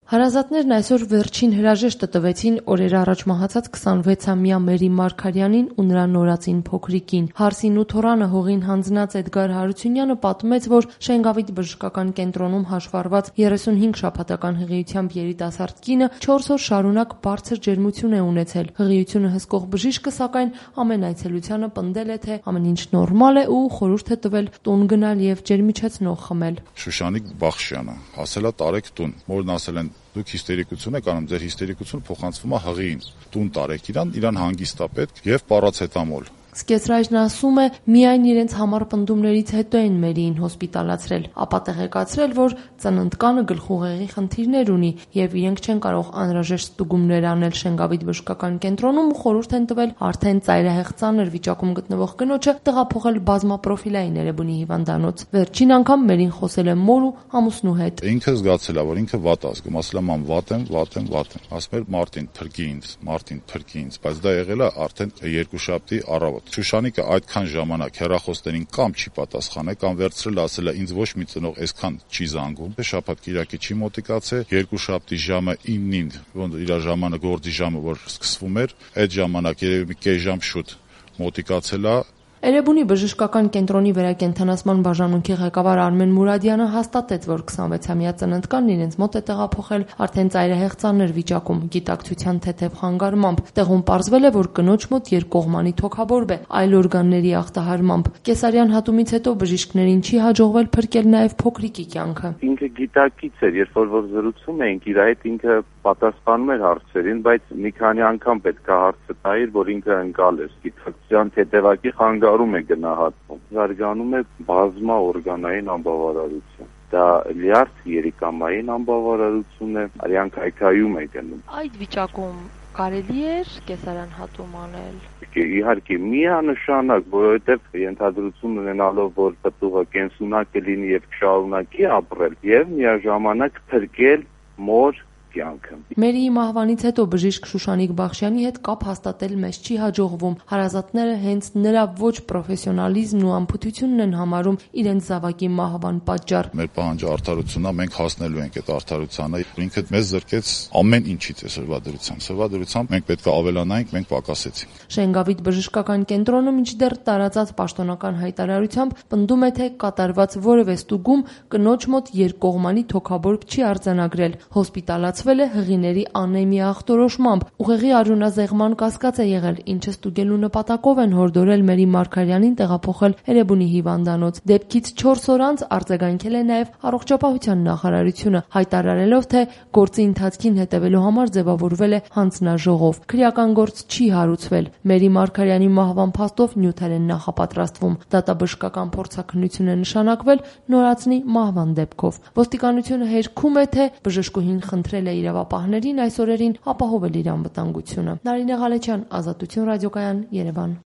Հարազատներն այսօր վերջին հրաժեշտը տվեցին օրեր առաջ մահացած 26-ամյա Մերի Մարգարյանին ու նրա նորածին փոքրիկին։ Հարսին ու թոռանը հողին հանձնած Էդգար Հարությունյանը պատմեց, որ Շենգավիթ բժշկական կենտրոնում հաշվառված 35 շաբաթական հղիությամբ երիտասարդ կինը 4 օր շարունակ բարձր ջերմություն է ունեցել։ Հղիությունը հսկող բժիշկը սակայն ամեն այցելությանը պնդել է, թե ամեն ինչ նորմալ է ու խորհուրդ է տվել տուն գնալ եւ ջերմիչեցնող խմել։ Շուշանիկ Բախշյանը ասել է տարեք տուն, մորն ասել են դուք հիստերիկություն եք անում, ձեր հիստերիկությունը փոխանցվում է հղիին, տուն տարեք իրան հանգիստ է պետք եւ պարացետամոլ։ Սկեսրայրն ասում է, միայն իրենց համար պնդումներից հետո են Մերիին հոսպիտալացրել, ապա տեղեկացրել, որ ծննդկանը գլխուղեղի խնդիրներ ունի եւ իրենք չեն կարող անհրաժեշտ ստուգումներ անել Շենգավիթ բժշկական կենտրոնում ու խորհուրդ են տվել արդեն ծայրահեղ ծանր վիճակում գտնվող կնոջը տեղափոխել բազմապրոֆիլային Էրեբունի հիվանդանոց։ Վերջին անգամ Մերին խոսել է մոր ու ամուսնու հետ։ Ինքը զգացել է, որ ինքը վատ է զգում, ասել է մամ վատ եմ։ Ասում էր Մարտին փրկի ինձ, բայց դա եղել է արդեն երկուշաբթի առավոտ։ Շուշանիկը այդքան ժամանակ հեռախոսներին կամ չի պատասխանել, կամ վերցրել ասել է ինձ ոչ մի ծնող այսքան չի զանգում։ Շաբաթ կիրակի չի մոտիկացել, երկուշաբթի ժամը 9-ին, ոնց իր ժամանը գործի ժամը որ սկսվում էր, այդ ժամանակ երևի մի կես ժամ շուտ մոտիկացել է։ Էրեբունի բժշկական կենտրոնի վերակենդանացման բաժանմունքի ղեկավար Արմեն Մուրադյանը հաստատեց, որ 26-ամյա ծննդկանն իրենց մոտ է տեղափոխել արդեն ծայրահեղ ծանր վիճակում, գիտակցության թեթև խանգարմամբ։ Տեղում պարզվել է, որ կնոջ մոտ երկկողմանի թոքաբորբ է, այլ օրգանների ախտահարմամբ։ Կեսարյան հատումից հետո բժիշկներին չի հաջողվել փրկել նաև փոքրիկի կյանքը։ Ինքը գիտակից էր, երբ որ զրուցում էինք իր հետ, ինքը պատասխանում էր հարցերին, բայց մի քանի անգամ պետք է հարցը տայր, որ ինքը ընկալ էր։ Գիտակցության թեթևակի խանգարում է գնահատվում։ Զարգանում է բազմա օրգանային անբավարարություն։ Դա լյարդ երիկամային անբավարարություն է, արյան քայքայում է գնում։ Այդ վիճակում կարելի էր կեսարյան հատում անել։ Իհարկե միանշանակ, որովհետև ենթադրություն ունենալով, որ պտուղը կենսունակ կլինի եւ կշարունակի ապրել եւ միաժամանակ փրկել մոր կյանքը։ Մերիի մահվանից հետո բժիշկ Շուշանիկ Բախշյանի հետ կապ հաստատել մեզ չի հաջողվում։ Հարազատները հենց նրա ոչ պրոֆեսիոնալիզմն ու անփութությունն են համարում իրենց զավակի մահվան պատճառ։ Մեր պահանջը արդարությունն է, մենք հասնելու ենք այդ արդարությանը։ Ինքը մեզ զրկեց ամեն ինչից է սրվադրությամբ մենք պետք է ավելանայինք, մենք պակասեցինք։ Շենգավիթ բժշկական կենտրոնը մինչդեռ տարածած պաշտոնական հայտարարությամբ պնդում է, թե կատարված որևէ ստուգում կնոջ մոտ երկկողմանի թոքաբորբ չի արձանագրել։ Հոսպիտալացվել է հղիների անեմիա ախտորոշմամբ։ Ուղեղի արյունազեղման կասկած է եղել, ինչը ստուգելու նպատակով են հորդորել Մերի Մարգարյանին տեղափոխել Էրեբունի հիվանդանոց։ Դեպքից 4 օր անց արձագանքել է նաև առողջապահության նախարարությունը, հայտարարելով, թե գործի ընթացքին հետևելու համար ձևավորվել է հանձնաժողով։ Քրեական գործ չի հարուցվել։ Մերի Մարգարյանի մահվան փաստով նյութեր են նախապատրաստվում։ Դատաբժշկական փորձաքննություն է նշանակվել նորածնի մահվան դեպքով։ Ոստիկանությունը հերքում է, թե բժշկուհին խնդրել է իրավապահներին այս օրերին ապահովել իր անվտանգությունը։ Նարինե Ղալեչյան, Ազատություն ռադիոկայան, Երևան։